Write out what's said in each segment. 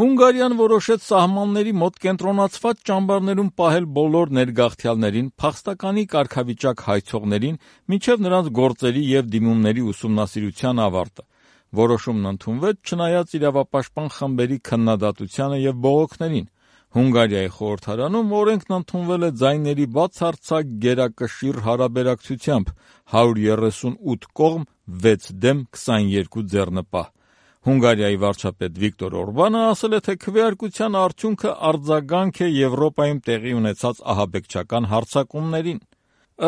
Հունգարիան որոշեց սահմանների մոտ կենտրոնացված ճամբարներում պահել բոլոր ներգաղթյալներին, փախստականի կարգավիճակ հայցողներին, մինչև նրանց գործերի և դիմումների ուսումնասիրության ավարտը։ Որոշումն ընդունվեց չնայած իրավապաշտպան խմբերի քննադատությանը և բողոքներին։ Հունգարիայի խորհրդարանում օրենքն ընդունվել է ձայների բացարձակ գերակշիռ հարաբերակցությամբ՝ 138 կողմ, 6 դեմ, 22 ձեռնպահ։ Հունգարիայի վարչապետ Վիկտոր Օրբանը ասել է, թե քվեարկության արդյունքը արձագանք է Եվրոպայում տեղի ունեցած ահաբեկչական հարձակումներին։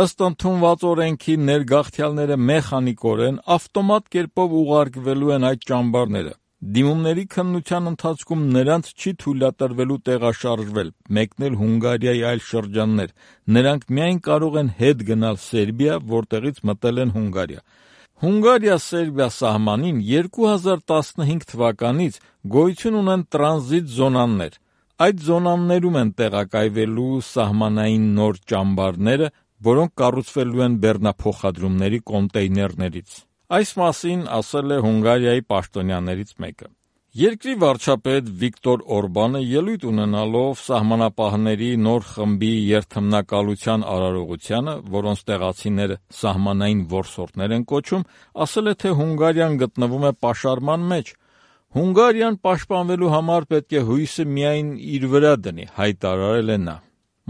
Ըստ ընդունված օրենքի ներգաղթյալները մեխանիկորեն ավտոմատ կերպով ուղարկվելու են այդ ճամբարները։ Դիմումների քննության ընթացքում նրանց չի թույլատրվելու տեղաշարժվել, մեկնել Հունգարիայի այլ շրջաններ։ Նրանք միայն կարող են հետ գնալ Սերբիա, որտեղից մտել են Հունգարիա։ Հունգարիա-Սերբիա սահմանին 2015 թվականից գոյություն ունեն տրանզիտ զոնաներ։ Այդ զոնաներում են տեղակայվելու սահմանային նոր ճամբարները, որոնք կառուցվելու են բեռնափոխադրումների կոնտեյներներից։ Այս մասին ասել է Հունգարիայի պաշտոնյաներից մեկը։ Երկրի վարչապետ Վիկտոր Օրբանը ելույթ ունենալով սահմանապահների նոր խմբի երթմնակալության արարողությանը, որոնց տեղացիները սահմանային որսորդներ են կոչում, ասել է, թե Հունգարիան գտնվում է պաշարման մեջ։ Հունգարիան պաշտպանվելու համար պետք է հույսը միայն իր վրա դնի, հայտարարել է նա։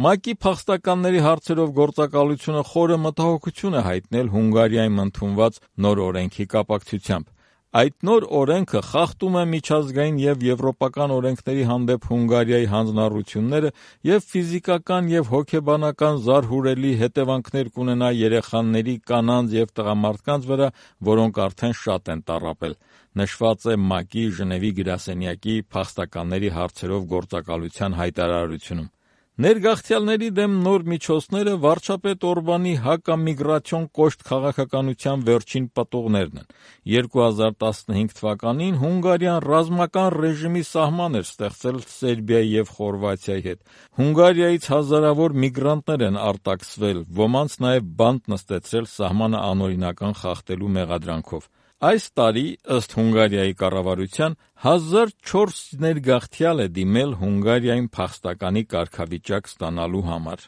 ՄԱԿ-ի փախստականների հարցերով գործակալությունը խորը մտահոգություն է հայտնել Հունգարիայում ընդունված նոր օրենքի կապակցությամբ։ Այդ նոր օրենքը խախտում է միջազգային և եվրոպական օրենքների հանդեպ Հունգարիայի հանձնառությունները և ֆիզիկական և հոգեբանական զարհուրելի հետևանքներ կունենա երեխաների, կանանց և տղամարդկանց վրա, որոնք արդեն շատ են տառապել, նշված է ՄԱԿ-ի Ժնևի գրասենյակի փախստականների հարցերով գործակալության հայտարարությունում։ Ներգաղթյալների դեմ նոր միջոցները վարչապետ Օրբանի հակամիգրացիոն կոշտ քաղաքականության վերջին պտուղներն են։ 2015 թվականին Հունգարիան ռազմական ռեժիմի սահման էր ստեղծել Սերբիայի և Խորվաթիայի հետ։ Հունգարիայից հազարավոր միգրանտներ են արտաքսվել, ոմանց նաև բանտ նստեցրել սահմանը անօրինական խախտելու մեղադրանքով։ Այս տարի, ըստ Հունգարիայի կառավարության, 1400 ներգաղթյալ է դիմել Հունգարիայում փախստականի կարգավիճակ ստանալու համար։